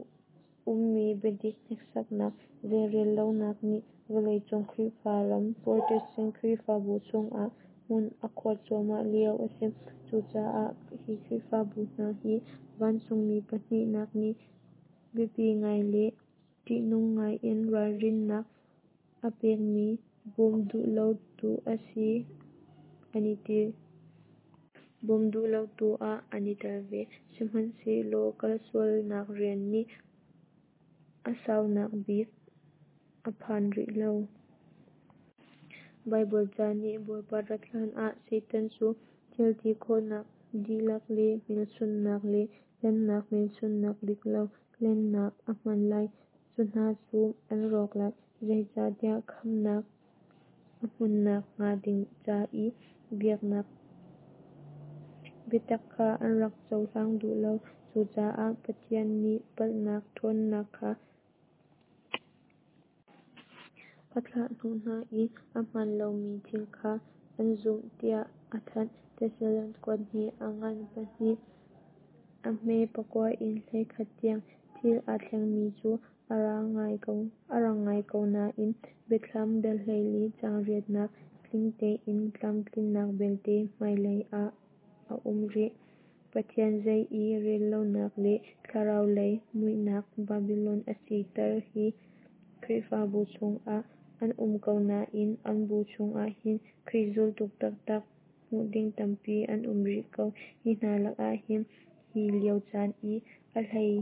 ummi biadik hneksaknak zeirel lonak nih vawleicung Khrihfa ram Protestant Khrihfabu chungah hmun a khuar cuahmah lio a si. Cucaah hi Khrihfabu hna hi vancungmi pahnihnak nih biapi ngai le ṭihnung ngai in ralrinnak a pekmi bawm duh lotu a si an i ti. Bawm duh lotu ah an i tel ve. Sihmanhsehlaw kalsualnak rian nih a saunak bik a phan rih lo. Baibal ca nih Bawipa rat hlan ah Satan cu thil ti khawhnak dihlak le hmelchunhnak le hlennak hmelchunhnak diklo hlennak a hman lai. Cu hna cu an rawk lai, zeicahtiah khamhnak a hmuhnak hnga ding ca i biaknak biatak kha an rak cohlang duh lo. Cucaah Pathian nih palhnak ṭhawnnak kha a thlah hnawh hna i a hmaan lomi thil kha an zumh tiah a thanh. Thessalon kuat hnih a ngan pahnih a hme pakua in 11 tiang. Thil aa thlengmi cu a rang ngai ko nain Biathlam dal 14 caang riatnak tling tein tlamtlinnak belte hmailei ah a um rih. Pathian zei i rellonak le thlarau lei muihnak Babylon a siter Hi Khrihfabu chungah an um ko nain an bu chungah hin Khrih zultu taktak hmuh ding tampi an um rih ko. Hi hna lakah hin hi lio caan i a hlei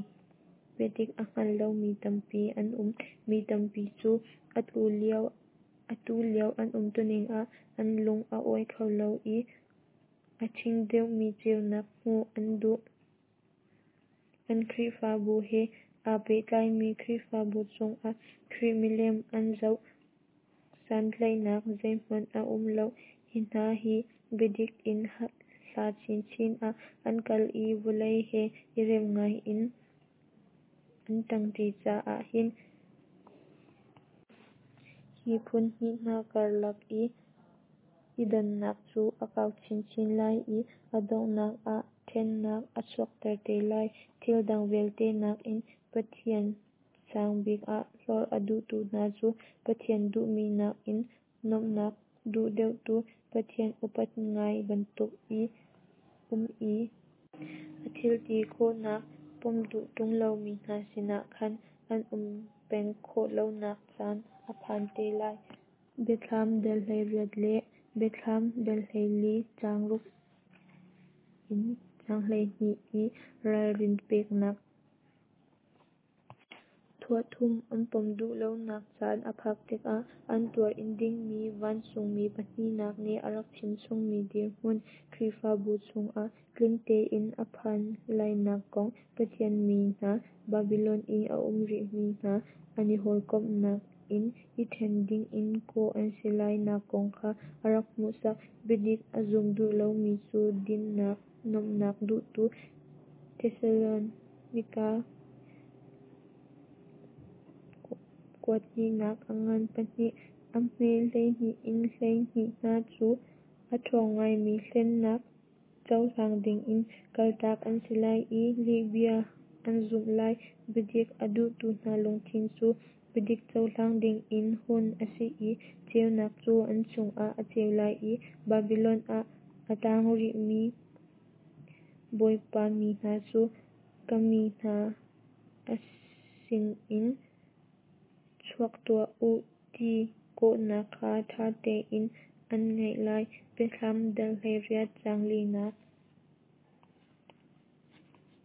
biadik a hngal lomi tampi an um. Mi tampi cu atu lio Atu lio an umtuning ah an lung a awi kho lo i a ṭhing deuhmi ceunak hmuh an duh. An Khrihfabu he aa pehtlaimi Khrihfabu chungah Khrih milem an zoh santlaihnak zeihmanh a um lo. Hi hna hi biadik in hla chinchin ah an kal i vawlei he i rem ngai in an ṭangṭi caah hin hi phun hnih hna karlak i i dannak cu a kau chinchin lai i a donghnak ah ṭhennak a chuakter te lai. Thil dang vialte nakin Pathian sang bik ah hlorh a duhtu hna cu Pathian duhmi nakin nuamhnak duh deuhtu, Pathian upat ngai bantuk i um i a thilti khawhnak pom duh ṭung lomi hna sinah khan an um peng khawh lonak caan a phan te lai. Biathlam dal 18 le Biathlam dal 14 caang 6 in caang 12 i ralrin peknak. Thuah thum an pom duh lonak caan a phak tikah an tuar-in dingmi vancungmi pahnihnak nih a rak chimchungmi dirhmun Khrihfabu chungah tling tein a phan lainak kong, Pathian mi hna Babilon i a um rihmi hna an i hawikomhnak in i ṭhen dingin kawh an si lai nak kong kha a rak hmuhsak. Biadik a zum duh lomi cu dinnak nuamhnak duhtu Thesalonika kuat hnihnak a ngan pahnih, a hme 12 in 12 hna cu a ṭhawng ngaimi hlennak cohlang dingin kaltak an si lai i lihbia an zumh lai. Biadik a duhtu hna lungthin cu biadik cohlang dingin hun a si i ceunak cu an chungah a ceu lai i Babilon ah a tang rihmi Bawipa mi hna cu ka mi hna a sinin chuak tuah u ti kawhnak kha ṭha tein an ngaih lai. Biathlam dal 18 caang linak.